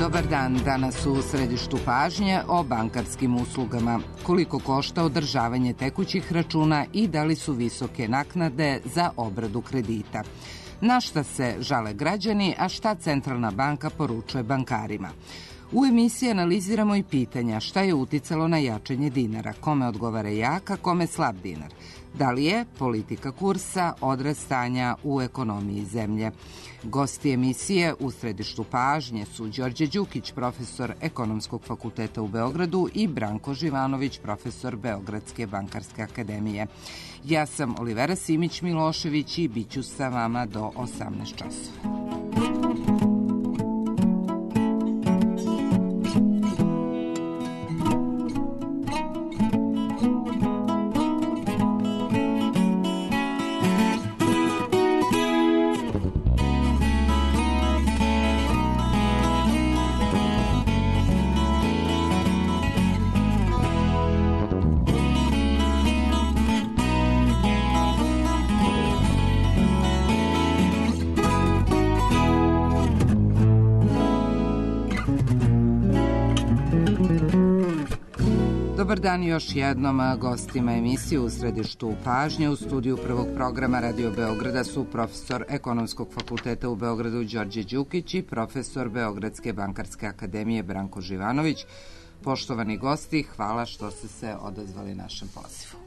Dobar dan, danas u središtu pažnje o bankarskim uslugama. Koliko košta održavanje tekućih računa i da li su visoke naknade za obradu kredita? Na šta se žale građani, a šta Centralna banka poručuje bankarima? U emisiji analiziramo i pitanja šta je uticalo na jačanje dinara, kome odgovara jak, a kome slab dinar. Da li je politika kursa odraz stanja u ekonomiji zemlje? Gosti emisije u središtu pažnje su Đorđe Đukić, profesor Ekonomskog fakulteta u Beogradu i Branko Živanović, profesor Beogradske bankarske akademije. Ja sam Olivera Simić-Milošević i bit ću sa vama do 18 časova. Dobar dan još jednom gostima emisije u središtu pažnje. U studiju prvog programa Radio Beograda su profesor Ekonomskog fakulteta u Beogradu Đorđe Đukić i profesor Beogradske bankarske akademije Branko Živanović. Poštovani gosti, hvala što ste se odazvali našem pozivu.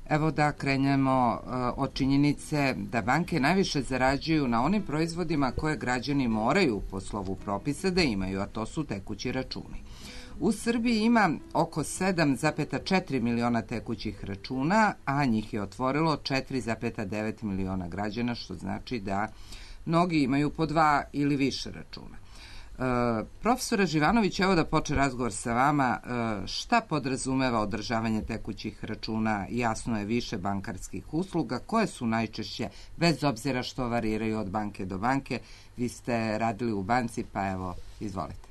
Evo da krenemo od činjenice da banke najviše zarađuju na onim proizvodima koje građani moraju po slovu propisa da imaju, a to su tekući računi. U Srbiji ima oko 7,4 miliona tekućih računa, a njih je otvorilo 4,9 miliona građana, što znači da mnogi imaju po 2 ili više računa. Profesore Živanović, evo da počne razgovor sa vama. Šta podrazumeva održavanje tekućih računa? Jasno je više bankarskih usluga. Koje su najčešće, bez obzira što variraju od banke do banke? Vi ste radili u banci, pa evo, izvolite.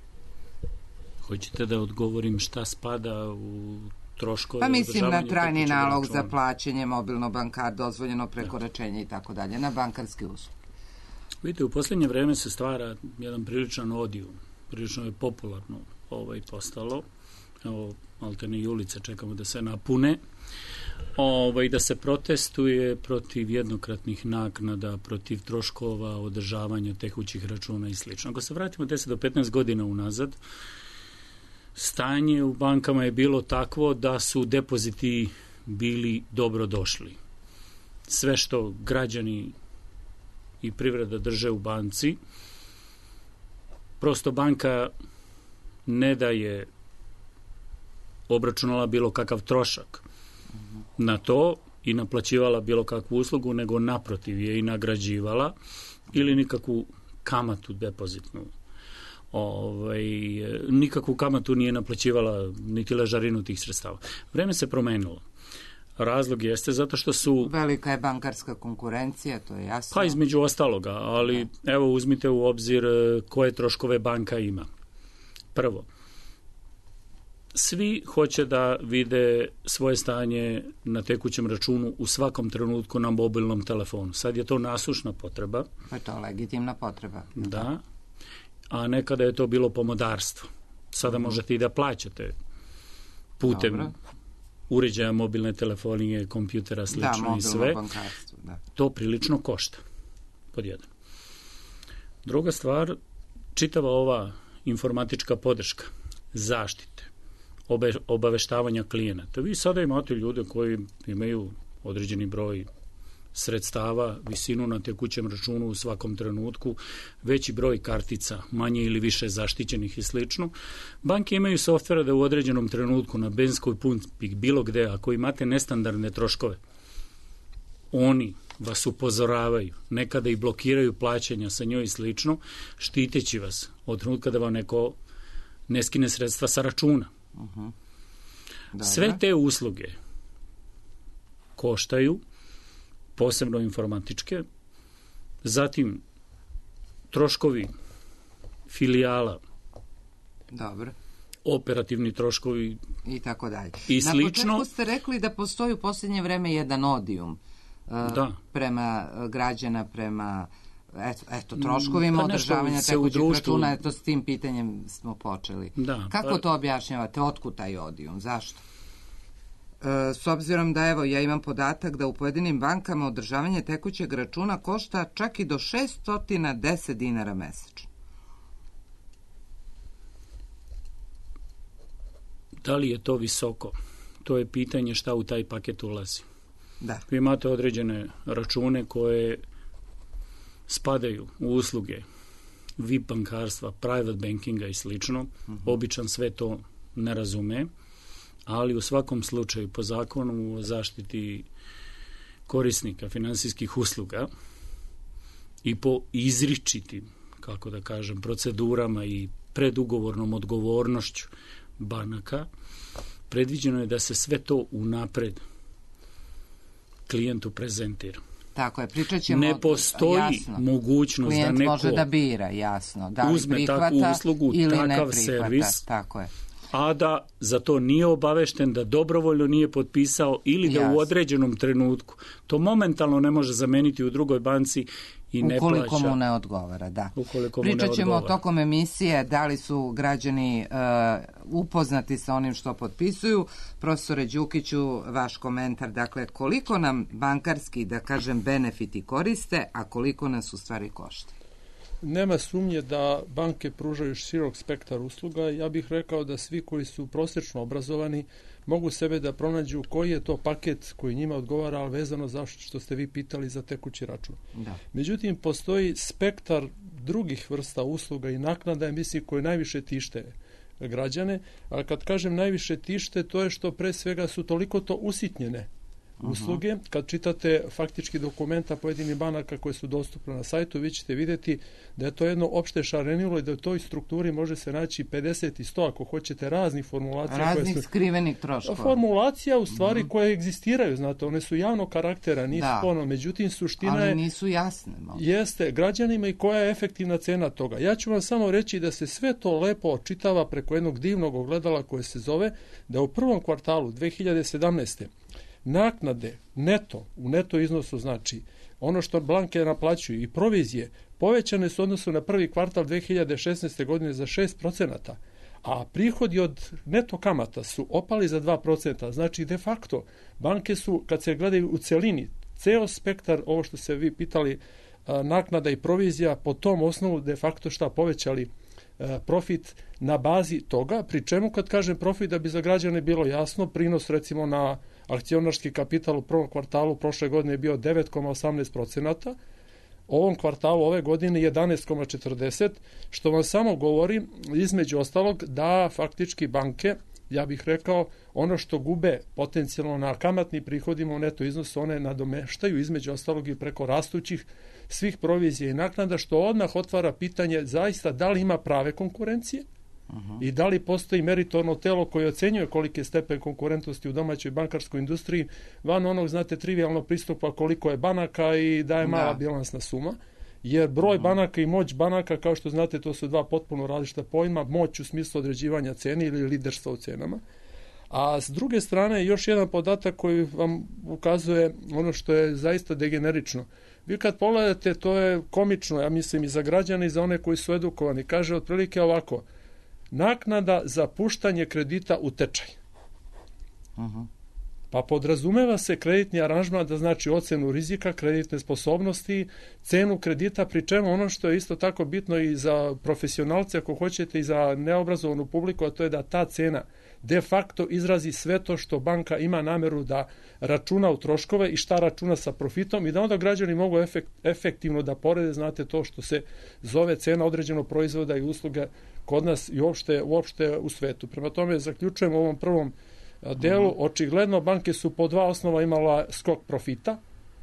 Hoćete da odgovorim šta spada u troškove? Pa mislim na trajni nalog za plaćanje, mobilno bankar, dozvoljeno prekoračenje i tako dalje, na bankarske usluge. Vidite, u posljednje vreme se stvara jedan priličan odijum. Prilično je popularno postalo. Evo, maltene i ulice čekamo da se napune. Da se protestuje protiv jednokratnih naknada, protiv troškova održavanja tekućih računa i sl. Ako se vratimo 10 do 15 godina unazad, stanje u bankama je bilo takvo da su depoziti bili dobro došli. Sve što građani i privreda drže u banci, prosto banka ne da je obračunala bilo kakav trošak na to i naplaćivala bilo kakvu uslugu, nego naprotiv je i nagrađivala ili nikakvu kamatu depozitnu. Nikakvu kamatu nije naplaćivala niti ležarinu tih sredstava. Vreme se promenilo. Razlog jeste zato što su... Velika je bankarska konkurencija, to je jasno. Pa između ostaloga, ali evo uzmite u obzir koje troškove banka ima. Prvo, svi hoće da vide svoje stanje na tekućem računu u svakom trenutku na mobilnom telefonu. Sad je to nasušna potreba. Pa je to legitimna potreba. Da. A nekada je to bilo pomodarstvo. Sada možete i da plaćate putem uređaja mobilne telefonije, kompjutera, slično i sve. To prilično košta. Pod jedan. Druga stvar, čitava ova informatička podrška, zaštite, obaveštavanja klijenata. Vi sada imate ljude koji imaju određeni broj sredstava, visinu na tekućem računu u svakom trenutku, veći broj kartica, manje ili više zaštićenih i slično. Banke imaju softvera da u određenom trenutku na benzinskoj pumpi, bilo gde, ako imate nestandardne troškove, oni vas upozoravaju, nekada i blokiraju plaćanja sa njoj i slično, štiteći vas od trenutka da vam neko ne skine sredstva sa računa. Sve te usluge koštaju, posebno informatičke, zatim troškovi filijala, operativni troškovi i tako dalje. I slično. Na početku ste rekli da postoji u posljednje vreme jedan odijum prema građana, prema Eto, troškovima održavanja tekućih računa, eto s tim pitanjem smo počeli. Kako to objašnjavate? Otkud taj odijum? Zašto? S obzirom da, evo, ja imam podatak da u pojedinim bankama održavanje tekućeg računa košta čak i do 610 dinara mesečno. Da li je to visoko? To je pitanje šta u taj paket ulazi. Da. Vi imate određene račune koje spadaju u usluge VIP bankarstva, private bankinga i slično. Običan sve to ne razume, ali u svakom slučaju po zakonu o zaštiti korisnika finansijskih usluga i po izričitim, kako da kažem, procedurama i predugovornom odgovornošću banaka, predviđeno je da se sve to unapred klijentu prezentira. Tako je, pričat ćemo... Ne postoji mogućnost da neko klijent može da bira, jasno, da li uzme prihvata takvu uslugu, ili ne takav prihvata. servis, tako je. a da za to nije obavešten, da dobrovoljno nije potpisao ili da u određenom trenutku to momentalno ne može zameniti u drugoj banci i ne plaća. Ukoliko mu ne odgovara, da. Pričat ćemo tokom emisije da li su građani upoznati sa onim što potpisuju. Profesore Đukiću, vaš komentar, dakle, koliko nam bankarski, da kažem, benefiti koriste, a koliko nas u stvari košta? Nema sumnje da banke pružaju širok spektar usluga. Ja bih rekao da svi koji su prosječno obrazovani mogu sebe da pronađu koji je to paket koji njima odgovara, ali vezano za što ste vi pitali za tekući račun. Da. Međutim, postoji spektar drugih vrsta usluga i naknada, mislim, koje najviše tište građane, ali kad kažem najviše tište, to je što pre svega su toliko to usitnjene usluge. Kad čitate faktički dokumenta pojedinih banaka koje su dostupne na sajtu, vi ćete vidjeti da je to jedno opšte šarenilo i da u toj strukturi može se naći 50 i 100, ako hoćete, raznih formulacija. Raznih skrivenih troškova. Formulacija u stvari koje egzistiraju, znate, one su javnog karaktera, nisu ono, međutim suština je... Ali nisu jasne. Jeste, građanima i koja je efektivna cena toga. Ja ću vam samo reći da se sve to lepo očitava preko jednog divnog ogledala koje se zove da u prvom kvartalu 2017. naknade neto, u neto iznosu znači ono što banke naplaćuju i provizije povećane su odnosu na prvi kvartal 2016. godine za 6%, a prihodi od neto kamata su opali za 2%. Znači, de facto, banke su, kad se gledaju u celini, ceo spektar, ovo što se vi pitali, naknada i provizija, po tom osnovu de facto šta povećali profit na bazi toga, pri čemu kad kažem profit, da bi za građane bilo jasno, prinos recimo na akcionarski kapital u prvom kvartalu prošle godine je bio 9,18%, ovom kvartalu ove godine 11,40%, što vam samo govori između ostalog da faktički banke, ja bih rekao, ono što gube potencijalno na kamatni prihodima u neto iznosu, one nadomeštaju između ostalog i preko rastućih svih provizija i naknada, što odmah otvara pitanje zaista da li ima prave konkurencije i da li postoji meritorno telo koje ocenjuje koliki je stepen konkurentnosti u domaćoj bankarskoj industriji, van onog, znate, trivijalno pristupa koliko je banaka i da je mala bilansna suma, jer broj banaka i moć banaka, kao što znate, to su dva potpuno različita pojma, moć u smislu određivanja cene ili liderstva u cenama. A s druge strane, još jedan podatak koji vam ukazuje ono što je zaista degenerično. Vi kad pogledate, to je komično, ja mislim, i za građane i za one koji su edukovani. Kaže otprilike ovako: naknada za puštanje kredita u tečaj. Pa podrazumeva se kreditni aranžman, da znači ocenu rizika, kreditne sposobnosti, cenu kredita, pri čemu ono što je isto tako bitno i za profesionalce, ako hoćete, i za neobrazovanu publiku, a to je da ta cena de facto izrazi sve to što banka ima nameru da računa u troškove i šta računa sa profitom i da onda građani mogu efektivno da porede, znate, to što se zove cena određenog proizvoda i usluga kod nas i uopšte u svetu. Prema tome, zaključujem u ovom prvom delu, očigledno banke su po dva osnova imala skok profita,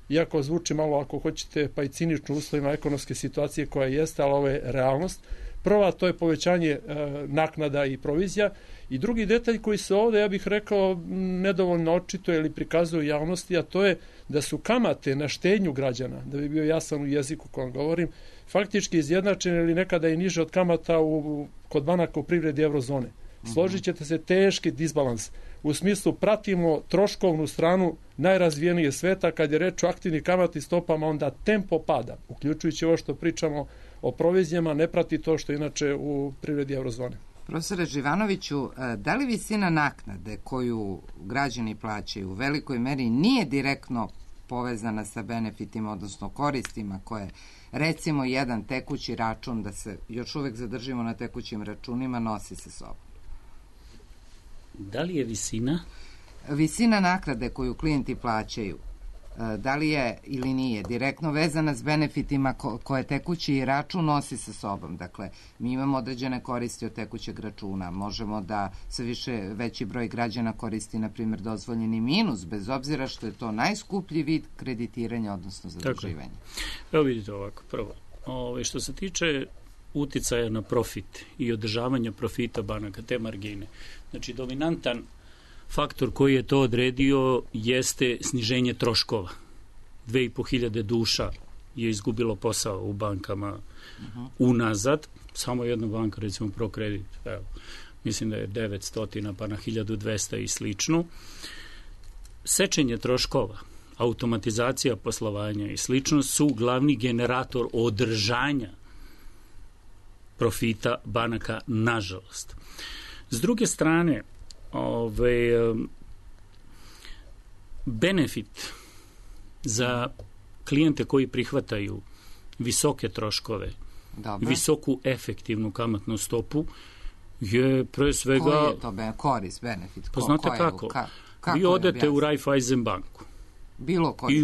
iako zvuči malo, ako hoćete, pa i cinično uslovima ekonomske situacije koja jeste, ali ovo je realnost. Prva, to je povećanje naknada i provizija, i drugi detalj koji se ovde, ja bih rekao, nedovoljno očituje ili prikazuje javnosti, a to je da su kamate na štednju građana, da bi bio jasan u jeziku kojem govorim, faktički izjednačene ili nekada i niže od kamata kod banaka u privredi eurozone. složit ćete se teški disbalans. U smislu pratimo troškovnu stranu najrazvijenije sveta, kad je reč o aktivnim kamatnim stopama, onda tempo pada, uključujući ovo što pričamo o provizijama, ne prati to što inače u privredi eurozone. Profesore Živanoviću, da li visina naknade koju građani plaćaju u velikoj meri nije direktno povezana sa benefitima, odnosno koristima koje, recimo, jedan tekući račun, da se još uvek zadržimo na tekućim računima, nosi sa sobom? Da li je visina? Visina naknade koju klijenti plaćaju, da li je ili nije direktno vezana s benefitima koje tekući račun nosi sa sobom? Dakle, mi imamo određene koristi od tekućeg računa. Možemo da sve veći broj građana koristi, na primjer, dozvoljeni minus, bez obzira što je to najskuplji vid kreditiranja, odnosno zaduživanja. Evo vidite ovako, prvo. Što se tiče uticaja na profit i održavanja profita banaka, te margine, znači dominantan faktor koji je to odredio jeste sniženje troškova. 2500 duša je izgubilo posao u bankama unazad. Samo jedna banka, recimo ProCredit, mislim da je 900 pa na 1200 i slično. Sečenje troškova, automatizacija poslovanja i slično su glavni generator održanja profita banaka, nažalost. S druge strane, benefit za klijente koji prihvataju visoke troškove, visoku efektivnu kamatnu stopu je pre svega... Koji je to korist, benefit? Pa znate kako? Vi odete u Raiffeisen banku i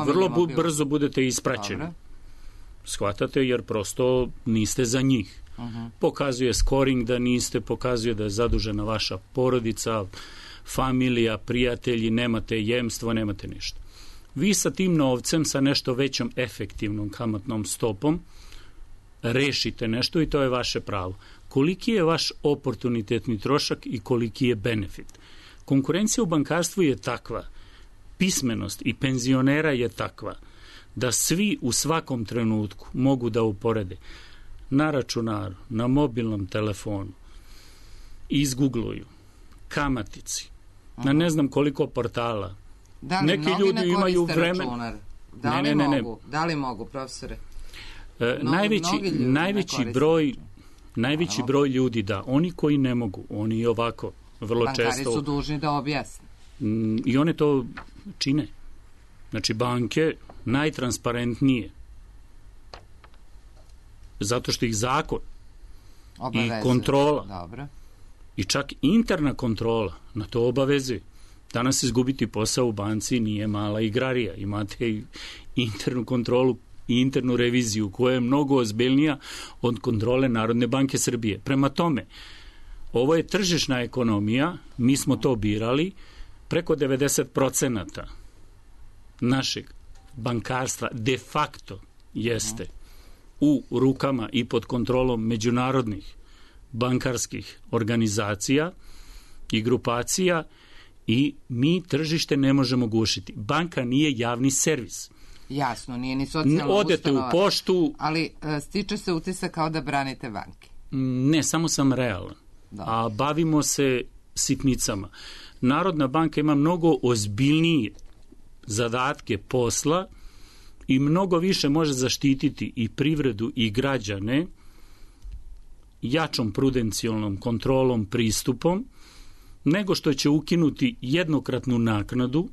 vrlo brzo budete ispraćeni. Shvatate, jer prosto niste za njih. Pokazuje scoring da niste, pokazuje da je zadužena vaša porodica, familija, prijatelji, nemate jemstvo, nemate ništa. Vi sa tim novcem, sa nešto većom efektivnom kamatnom stopom, rešite nešto i to je vaše pravo. Koliki je vaš oportunitetni trošak i koliki je benefit? Konkurencija u bankarstvu je takva, pismenost i penzionera je takva, da svi u svakom trenutku mogu da uporede na računaru, na mobilnom telefonu, izgugluju, kamatici, na ne znam koliko portala. Da li neki ljudi imaju vreme... računar? Da li mogu, profesore? Najveći broj ljudi, da. Oni koji ne mogu, oni ovako vrlo često... Bankari su dužni da objasne. I one to čine. Znači, banke najtransparentnije, zato što ih zakon i kontrola i čak interna kontrola na to obavezuje. Danas izgubiti posao u banci nije mala igrarija. Imate i internu kontrolu i internu reviziju koja je mnogo ozbiljnija od kontrole Narodne banke Srbije. Prema tome, ovo je tržišna ekonomija, mi smo to birali, preko 90% našeg bankarstva de facto jeste u rukama i pod kontrolom međunarodnih bankarskih organizacija i grupacija i mi tržište ne možemo gušiti. Banka nije javni servis. Jasno, nije ni socijalna ustanova. Odete u poštu... Ali stiče se utisak kao da branite banke. Ne, samo sam realan. A bavimo se sitnicama. Narodna banka ima mnogo ozbiljnije zadatke posla i mnogo više može zaštititi i privredu i građane jačom prudencijalnom kontrolom, pristupom, nego što će ukinuti jednokratnu naknadu,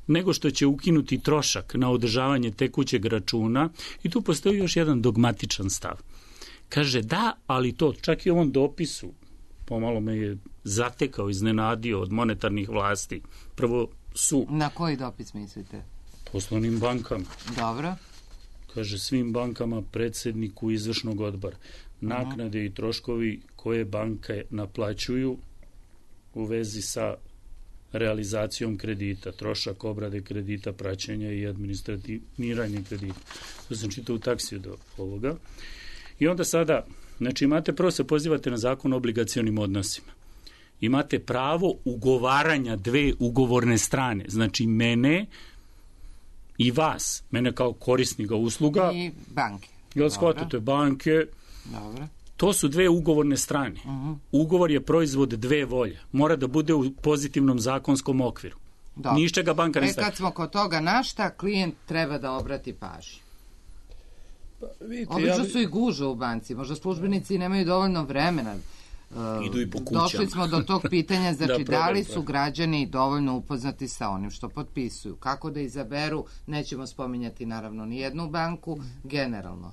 nego što će ukinuti trošak na održavanje tekućeg računa. I tu postoji još jedan dogmatičan stav. Kaže da, ali to čak i u ovom dopisu pomalo me je zatekao, iznenadio od monetarnih vlasti. Prvo su... Na koji dopis mislite? Poslovnim bankama. Dobro. Kaže svim bankama, predsjedniku izvršnog odbora. Naknade i troškovi koje banke naplaćuju u vezi sa realizacijom kredita, trošak obrade kredita, praćenja i administratiranje kredita. To sam čitao u taksiju do ovoga. I onda sada, znači imate, prvo se pozivate na zakon o obligacionim odnosima. Imate pravo ugovaranja dve ugovorne strane, znači mene i vas, mene kao korisnika usluga. I banke. Jel shvatate, banke. Dobro. To su dve ugovorne strane. Ugovor je proizvod dve volje. Mora da bude u pozitivnom zakonskom okviru. Ništa banka ne stavlja. Kad smo kod toga, na šta klijent treba da obrati pažnju? Obično su i guže u banci. Možda službenici nemaju dovoljno vremena. Idu i po kućama. Došli smo do tog pitanja, znači da li su građani dovoljno upoznati sa onim što potpisuju? Kako da izaberu, nećemo spominjati naravno ni jednu banku, generalno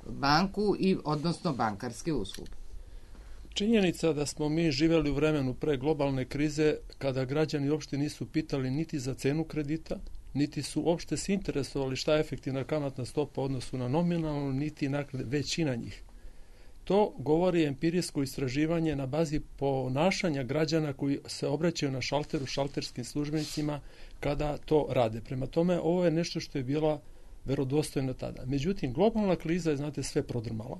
banku i odnosno bankarske usluge. Činjenica da smo mi živjeli u vremenu pre globalne krize kada građani uopšte nisu pitali niti za cenu kredita, niti su uopšte se interesovali šta je efektivna kamatna stopa u odnosu na nominalnu, niti većina njih. To govori empirijsko istraživanje na bazi ponašanja građana koji se obraćaju na šalteru šalterskim službenicima kada to rade. Prema tome, ovo je nešto što je bila verodostojno tada. Međutim, globalna kriza je, znate, sve prodrmala.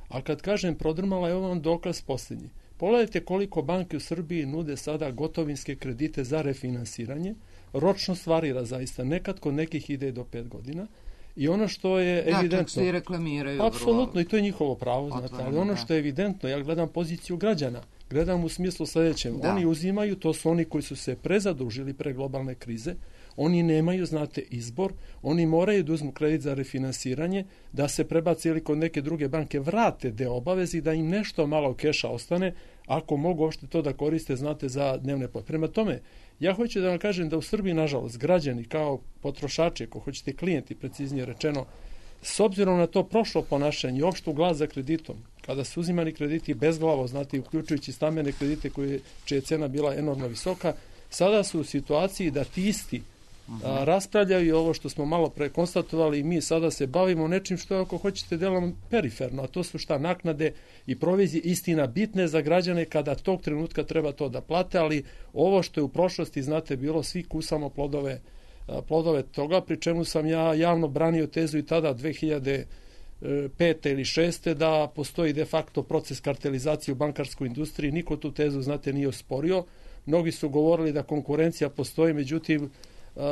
A kad kažem prodrmala, je ovo dokaz posljednji. Pogledajte koliko banke u Srbiji nude sada gotovinske kredite za refinansiranje. Ročnost varira zaista. Nekad kod nekih ide do 5 godina. I ono što je evidentno... Da, čak se i reklamiraju. Apsolutno, i to je njihovo pravo, znate. Ali ono što je evidentno, ja gledam poziciju građana. Gledam u smislu sljedećem. Oni uzimaju, to su oni koji su se prezadužili pre globalne krize. Oni nemaju, znate, izbor. Oni moraju da uzmu kredit za refinansiranje, da se prebaci ili kod neke druge banke vrate deo obavezi, da im nešto malo keša ostane, ako mogu uopšte to da koriste, znate, za dnevne potrebe. Prema tome, ja hoću da vam kažem da u Srbiji, nažalost, građani kao potrošači, ako hoćete klijenti, preciznije rečeno, s obzirom na to prošlo ponašanje i opštu glas za kreditom, kada su uzimani krediti bezglavo, znate, uključujući stambene kredite čija je cena bila enormno visoka, sada su u situaciji da ti isti raspravljaju ovo što smo malo pre konstatovali i mi sada se bavimo nečim što je, ako hoćete, delom periferno, a to su šta naknade i provizije, istina bitne za građane kada tog trenutka treba to da plate, ali ovo što je u prošlosti, znate, bilo, svi kusamo plodove toga, pri čemu sam ja javno branio tezu i tada 2005. ili 2006. da postoji de facto proces kartelizacije u bankarskoj industriji. Niko tu tezu, znate, nije osporio. Mnogi su govorili da konkurencija postoji, međutim,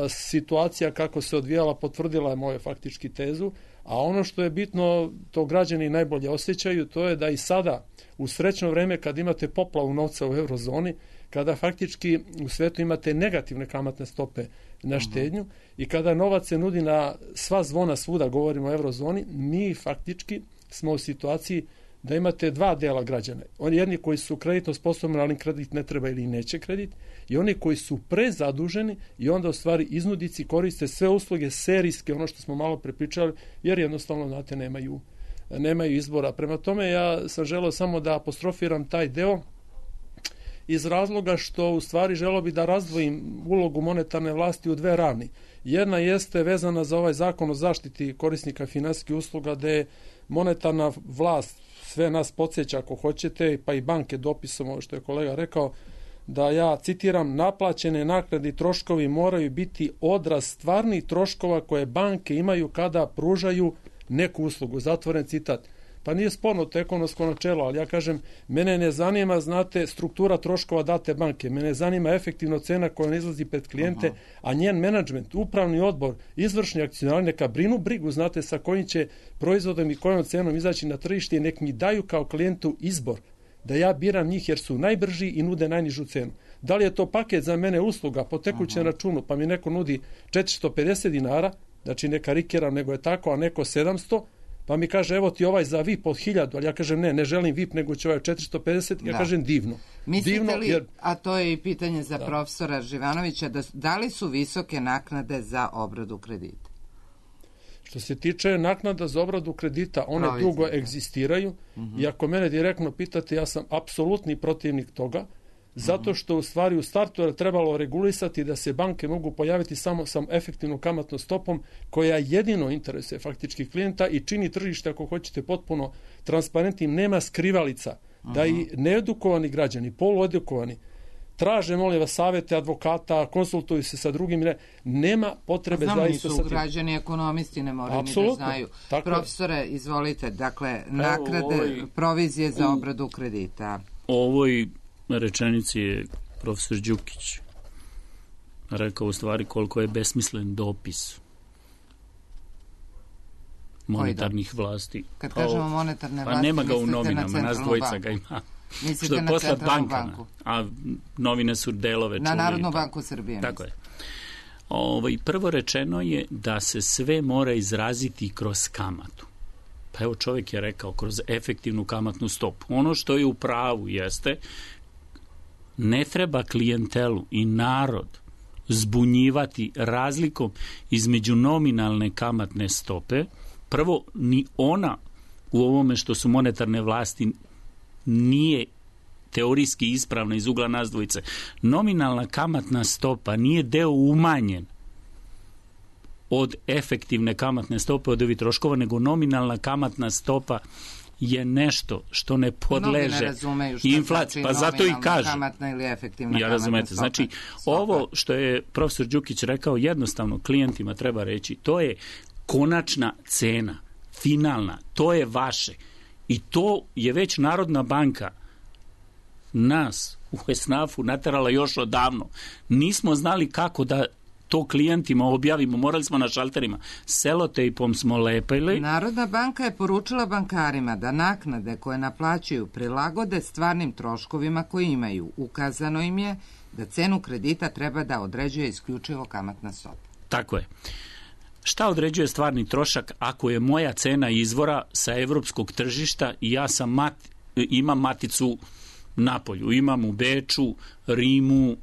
situacija kako se odvijala potvrdila je moju faktički tezu, a ono što je bitno, to građani najbolje osjećaju, to je da i sada u srećno vreme kad imate poplavu novca u eurozoni, kada faktički u svetu imate negativne kamatne stope na štednju i kada novac se nudi na sva zvona svuda, govorimo o eurozoni, mi faktički smo u situaciji da imate dva dela građana. Oni jedni koji su kreditno sposobni, ali kredit ne treba ili neće kredit, i oni koji su prezaduženi i onda u stvari iznudici koriste sve usluge serijske, ono što smo malo prepričali, jer jednostavno, znate, nemaju izbora. Prema tome, ja sam želeo samo da apostrofiram taj deo iz razloga što u stvari želeo bi da razdvojim ulogu monetarne vlasti u dve ravni. Jedna jeste vezana za ovaj zakon o zaštiti korisnika finansijskih usluga, gde monetarna vlast sve nas podsjeća, ako hoćete, pa i banke dopisom, ovo što je kolega rekao, da ja citiram, naplaćene naknade i troškovi moraju biti odraz stvarnih troškova koje banke imaju kada pružaju neku uslugu. Zatvoren citat. Pa nije sporno to ekonomsko načelo, ali ja kažem, mene ne zanima, znate, struktura troškova date banke, mene zanima efektivno cena koja ne izlazi pred klijente, a njen menadžment, upravni odbor, izvršni akcionari neka brinu brigu, znate, sa kojim će proizvodom i kojom cenom izaći na tržište i nek mi daju kao klijentu izbor, da ja biram njih jer su najbrži i nude najnižu cenu. Da li je to paket za mene usluga po tekućem računu, pa mi neko nudi 450 dinara, znači ne karikiram, nego je tako, a neko 700, pa mi kaže, evo ti ovaj za VIP od 1000, ali ja kažem, ne želim VIP, nego će ovaj 450, ja kažem divno. Mislite divno, li, a to je i pitanje za profesora Živanovića, da li su visoke naknade za obradu kredita? Što se tiče naknada za obradu kredita, one dugo egzistiraju i ako mene direktno pitate, ja sam apsolutni protivnik toga, zato što u stvari u startu je trebalo regulisati da se banke mogu pojaviti samo sa efektivnom kamatnom stopom koja jedino interesuje faktički klijenta i čini tržište, ako hoćete, potpuno transparentnim, nema skrivalica, da i needukovani građani, poluedukovani, traže, molim vas, savete advokata, konsultuju se sa drugim, nema potrebe zaista. Znamo, nisu građani ekonomisti, ne moraju ni da znaju. Profesore, izvolite, dakle, naknade, provizije za obradu kredita. Ovoj rečenici je profesor Đukić rekao u stvari koliko je besmislen dopis monetarnih vlasti. Kad kažemo monetarne vlasti, nema ga u novinama, nas dvojica ga ima. Što je poslat bankama, a novine su delove čuli. Na Narodnu banku Srbije. Tako je. Prvo rečeno je da se sve mora izraziti kroz kamatu. Pa evo, čovjek je rekao kroz efektivnu kamatnu stopu. Ono što je u pravu jeste, ne treba klijentelu i narod zbunjivati razlikom između nominalne kamatne stope. Prvo, ni ona u ovome što su monetarne vlasti nije teorijski ispravna iz ugla nas dvojice. Nominalna kamatna stopa nije deo umanjen od efektivne kamatne stope od ovih troškova, nego nominalna kamatna stopa je nešto što ne podleže inflaciji. Pa zato i kažem. Kamatna ili efektivna ja razumete. Znači, ovo što je profesor Đukić rekao, jednostavno klijentima treba reći, to je konačna cena, finalna, to je vaše. I to je već Narodna banka nas u Esnafu naterala još odavno. Nismo znali kako da to klijentima objavimo, morali smo na šalterima. Selotejpom smo lepili. Narodna banka je poručila bankarima da naknade koje naplaćuju prilagode stvarnim troškovima koji imaju. Ukazano im je da cenu kredita treba da određuje isključivo kamatna stopa. Tako je. Šta određuje stvarni trošak ako je moja cena izvora sa evropskog tržišta i ja sam imam maticu napolju, imam u Beču, Rimu,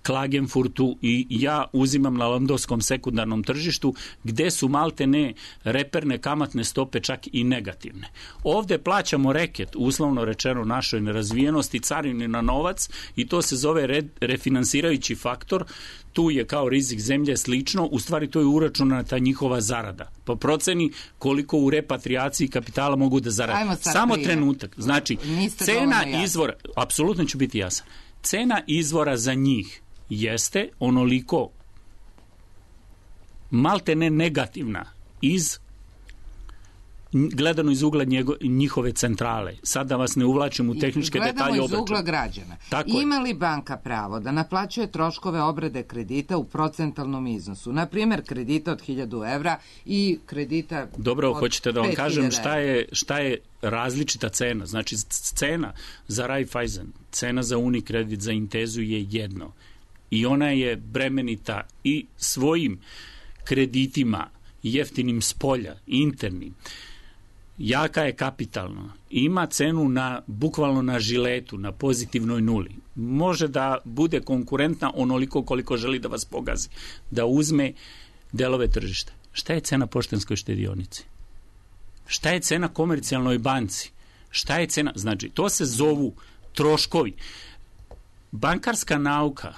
Klagenfurtu i ja uzimam na londonskom sekundarnom tržištu gde su maltene reperne kamatne stope čak i negativne. Ovde plaćamo reket, uslovno rečeno našoj nerazvijenosti, carini na novac i to se zove refinansirajući faktor. Tu je kao rizik zemlje slično, u stvari to je uračunata njihova zarada. Po proceni koliko u repatriaciji kapitala mogu da zarade. Samo trenutak. Znači, cena izvora, apsolutno ću biti jasan, cena izvora za njih jeste onoliko maltene negativna gledano iz ugla njihove centrale. Sad da vas ne uvlačim u tehničke detalje obračuna. Gledamo iz ugla građana. Ima li banka pravo da naplaćuje troškove obrade kredita u procentalnom iznosu? Naprimjer, kredita od 1000 evra i kredita od 5000 evra. Dobro, hoćete da vam kažem šta je različita cena. Znači, cena za Raiffeisen, cena za Unikredit, za Intezu je jedno. I ona je bremenita i svojim kreditima, jeftinim s polja, internim. Jaka je kapitalno. Ima cenu bukvalno na žiletu, na pozitivnoj nuli. Može da bude konkurentna onoliko koliko želi da vas pogazi. Da uzme delove tržišta. Šta je cena poštanskoj štedionici? Šta je cena komercijalnoj banci? Šta je cena? Znači, to se zovu troškovi. Bankarska nauka,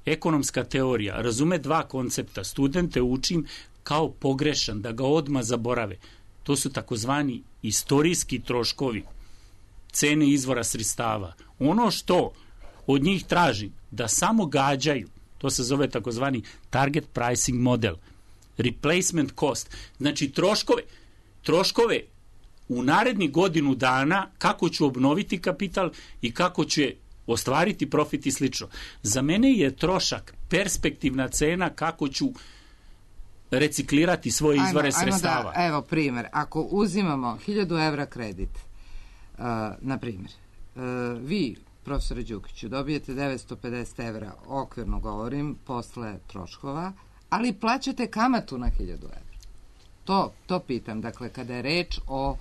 ekonomska teorija, razume dva koncepta. Studente učim kao pogrešan, da ga odmah zaborave. To su takozvani istorijski troškovi, cene izvora sredstava. Ono što od njih tražim da samo gađaju, to se zove takozvani target pricing model, replacement cost. Znači troškove u narednih godinu dana kako ću obnoviti kapital i kako ću ostvariti profit i slično. Za mene je trošak perspektivna cena kako ću reciklirati svoje izvore sredstava. Evo primjer, ako uzimamo 1000 evra kredit, na primjer, vi, profesore Đukiću, dobijete 950 evra, okvirno govorim, posle troškova, ali plaćate kamatu na 1000 evra. To pitam, dakle, kada je reč o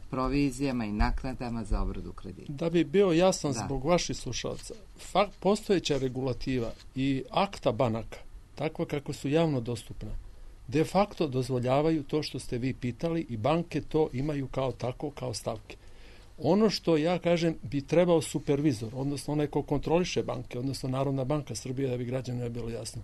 provizijama i naknadama za obradu kredita. Da bi bio jasan zbog vaših slušalaca, postojeća regulativa i akta banaka, takva kako su javno dostupna, de facto dozvoljavaju to što ste vi pitali i banke to imaju kao stavke. Ono što ja kažem bi trebao supervizor, odnosno onaj ko kontroliše banke, odnosno Narodna banka Srbije, da bi građanima bilo jasno,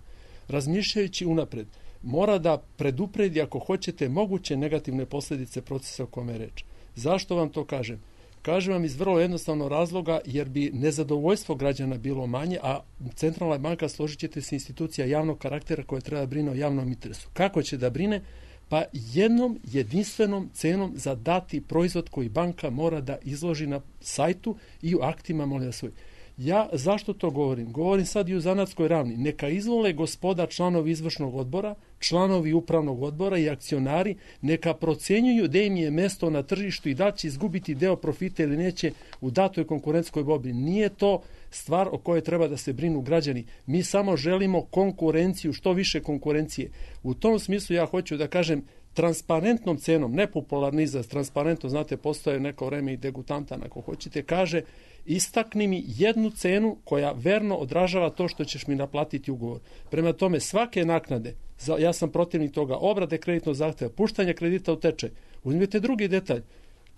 razmišljajući unapred, mora da predupredi, ako hoćete, moguće negativne posljedice procesa o kome je reč. Zašto vam to kažem? Kažem vam iz vrlo jednostavnog razloga, jer bi nezadovoljstvo građana bilo manje, a Centralna banka, složit ćete se, institucija javnog karaktera koja treba brine o javnom interesu. Kako će da brine? Pa jednom jedinstvenom cenom za dati proizvod koji banka mora da izloži na sajtu i u aktima, molim vas, svoj. Ja zašto to govorim? Govorim sad i u zanatskoj ravni. Neka izvole gospoda članovi izvršnog odbora, članovi upravnog odbora i akcionari, neka procenjuju da im je mesto na tržištu i da će izgubiti deo profita ili neće u datoj konkurentskoj borbi. Nije to stvar o kojoj treba da se brinu građani. Mi samo želimo konkurenciju, što više konkurencije. U tom smislu ja hoću da kažem, transparentnom cenom, nepopularni izraz, transparentno, znate, postoje neko vreme i degutantan, ako hoćete, kaže, istakni mi jednu cenu koja verno odražava to što ćeš mi naplatiti ugovor. Prema tome, svake naknade, ja sam protivnik toga, obrade kreditnog zahteva, puštanje kredita u tečaj. Uzmite drugi detalj.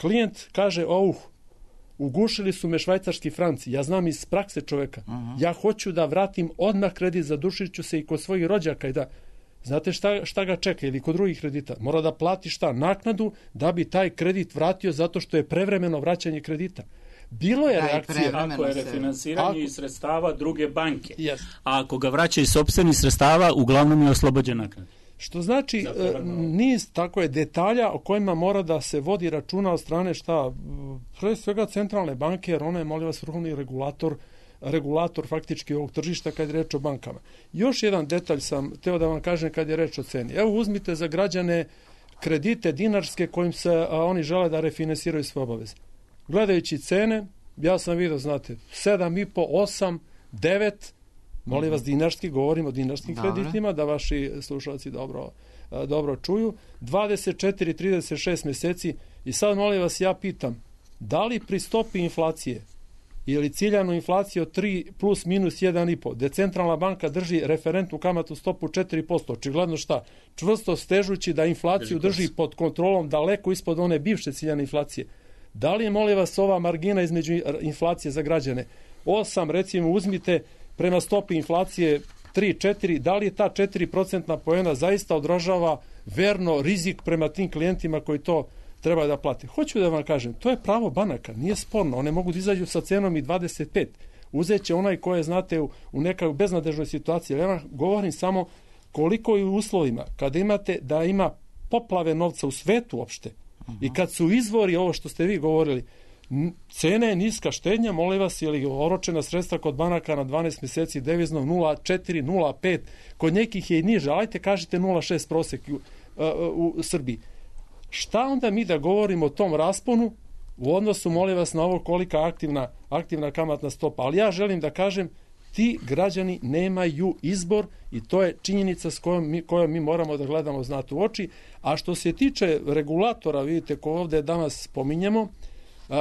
Klijent kaže, ugušili su me švajcarski franci, ja znam iz prakse čoveka, ja hoću da vratim odmah kredit, zadušit ću se i kod svojih rođaka i da... Znate šta ga čeka ili kod drugih kredita? Mora da plati naknadu da bi taj kredit vratio zato što je prevremeno vraćanje kredita. Bilo je reakcija. Ako je refinansiranje iz sredstava druge banke, a ako ga vraća iz sopstvenih sredstava, uglavnom je oslobođen naknade. Što znači niz tako je detalja o kojima mora da se vodi računa od strane pre svega centralne banke, jer ona je, molim vas, vrhovni regulator faktički ovog tržišta kad je reč o bankama. Još jedan detalj sam teo da vam kažem kad je reč o ceni. Evo uzmite za građane kredite dinarske kojim se oni žele da refinansiraju svoje obaveze. Gledajući cene, ja sam vidio, znate, 7,5, 8, 9, molim vas dinarski, govorim o dinarskim kreditima, da vaši slušalci dobro čuju, 24, 36 mjeseci i sad molim vas ja pitam, da li pri stopi inflacije ili ciljanu inflaciju od 3 plus minus 1,5, gde centralna banka drži referentnu kamatnu stopu 4%, očigledno šta? Čvrsto stežući da inflaciju drži pod kontrolom daleko ispod one bivše ciljane inflacije. Da li je, molim vas, ova margina između inflacije za građane 8, recimo, uzmite prema stopi inflacije 3-4, da li je ta 4% poena zaista odražava verno rizik prema tim klijentima koji to treba da plate? Hoću da vam kažem, to je pravo banaka, nije sporno, one mogu da izađu sa cenom i 25. Uzet će onaj koje, znate, u nekoj beznadežnoj situaciji. Ja vam govorim samo koliko je u uslovima, kada imate da ima poplave novca u svetu uopšte, i kad su izvori, ovo što ste vi govorili, cena je niska štednja, molim vas, ili oročena sredstva kod banaka na 12 mjeseci deviznom 0,4, 0,5, kod nekih je i niže, ajte kažete 0,6 prosek u Srbiji. Šta onda mi da govorimo o tom rasponu u odnosu, molim vas, na ovo kolika aktivna kamatna stopa? Ali ja želim da kažem, ti građani nemaju izbor i to je činjenica s kojom mi moramo da gledamo, znate, u oči. A što se tiče regulatora, vidite, ko ovdje danas spominjemo,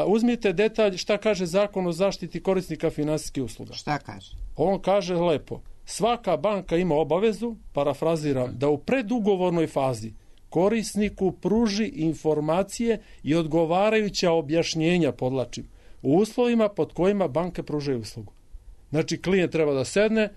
uzmite detalj šta kaže Zakon o zaštiti korisnika finansijskih usluga. Šta kaže? On kaže lepo, svaka banka ima obavezu, parafraziram, da u predugovornoj fazi korisniku pruži informacije i odgovarajuća objašnjenja, podlačim, u uslovima pod kojima banke pružaju uslugu. Znači, klijent treba da sedne,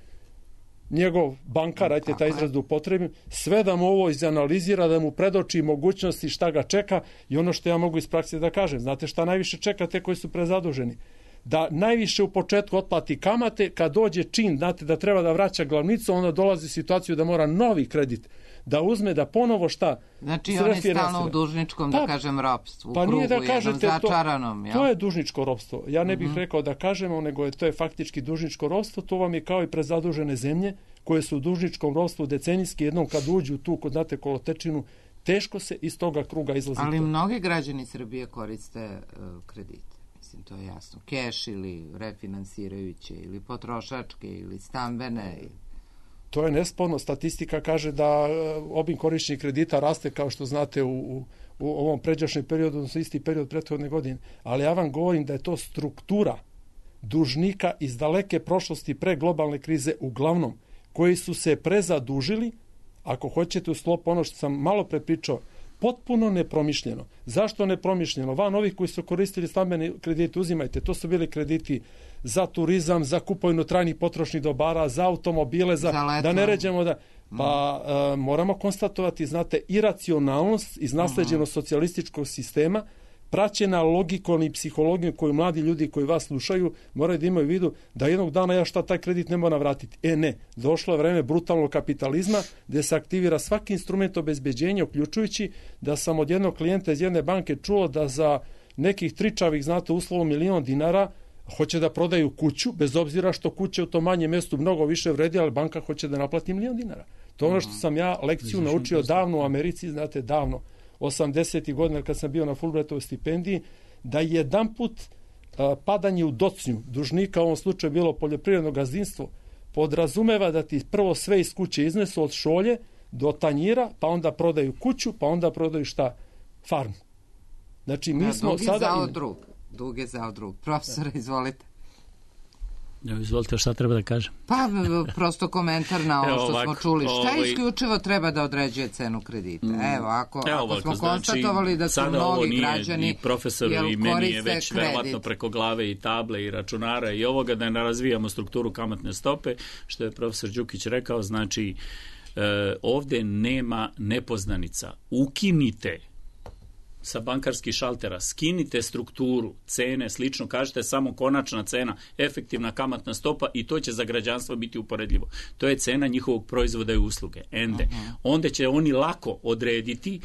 njegov bankar, ajte taj izraz da upotrebim, sve da mu ovo izanalizira, da mu predoči mogućnosti šta ga čeka i ono što ja mogu iz prakse da kažem. Znate šta najviše čeka te koji su prezaduženi? Da najviše u početku otplati kamate, kad dođe čin, znate, da treba da vraća glavnicu, onda dolazi situaciju da mora novi kredit da uzme, da ponovo šta? Znači on je stalno u dužničkom, da kažem, ropstvu, u krugu jednom začaranom. To je dužničko ropstvo. Ja ne bih rekao da kažemo, nego to je faktički dužničko ropstvo. To vam je kao i prezadužene zemlje koje su u dužničkom ropstvu decenijski, jednom kad uđu tu kod, znate, kolotečinu, teško se iz toga kruga izlazi. Ali mnogi građani Srbije koriste kredite. Mislim, to je jasno. Keš ili refinansirajuće ili potrošačke ili stambene. To je nesporno. Statistika kaže da obim korišćenja kredita raste, kao što znate, u ovom pređašnjem periodu, odnosno isti period prethodne godine. Ali ja vam govorim da je to struktura dužnika iz daleke prošlosti pre globalne krize, uglavnom, koji su se prezadužili, ako hoćete, u sklopu ono što sam malo prepričao, potpuno nepromišljeno. Zašto nepromišljeno? Van ovih koji su koristili stambene kredite, uzimajte, to su bili krediti za turizam, za kupovinu trajnih potrošnih dobara, za automobile, da ne ređemo da... Pa moramo konstatovati, znate, iracionalnost iz nasleđenog socijalističkog sistema, praćena logikom i psihologijom koju mladi ljudi koji vas slušaju moraju da imaju u vidu da jednog dana ja taj kredit ne moram vratiti. Ne, došlo je vreme brutalnog kapitalizma gdje se aktivira svaki instrument obezbeđenja, uključujući da sam od jednog klijenta iz jedne banke čuo da za nekih tričavih, znate, uslovom $1.000.000 hoće da prodaju kuću, bez obzira što kuće u tom manjem mjestu mnogo više vredi, ali banka hoće da naplati $1.000.000. To je ono što sam ja lekciju naučio davno u Americi, znate, davno, 80. godina kad sam bio na Fulbrightovoj stipendiji, da jedanput padanje u docnju dužnika, u ovom slučaju bilo poljoprivredno gazdinstvo, podrazumeva da ti prvo sve iz kuće iznesu od šolje do tanjira, pa onda prodaju kuću, pa onda prodaju šta? Farmu. Znači, mi smo sada... Dug je zao drug. Profesore, izvolite. Izvolite, šta treba da kažem? Pa, prosto komentar na ovo što smo čuli. Šta isključivo treba da određuje cenu kredita? Evo, ako smo konstatovali da su mnogi građani... I profesori i meni je već verovatno preko glave i table i računara i ovoga, da ne razvijamo strukturu kamatne stope, što je profesor Đukić rekao, znači ovde nema nepoznanica. Ukinite sa bankarskih šaltera, skinite strukturu, cene, slično, kažete samo konačna cena, efektivna kamatna stopa i to će za građanstvo biti uporedljivo. To je cena njihovog proizvoda i usluge. Onda će oni lako odrediti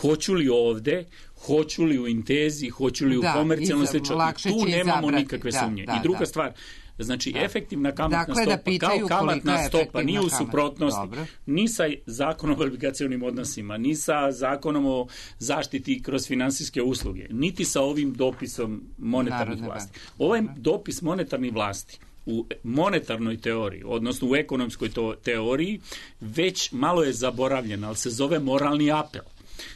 hoću li ovde, hoću li u Intezi, hoću li u komercijalnoj slično. Tu nemamo nikakve sumnje. I druga stvar, znači, efektivna kamatna stopa kao kamatna stopa nije u suprotnosti ni sa zakonom o obligacionim odnosima, ni sa zakonom o zaštiti kroz finansijske usluge, niti sa ovim dopisom monetarnih vlasti. Ovaj dopis monetarnih vlasti u monetarnoj teoriji, odnosno u ekonomskoj teoriji, već malo je zaboravljen, ali se zove moralni apel.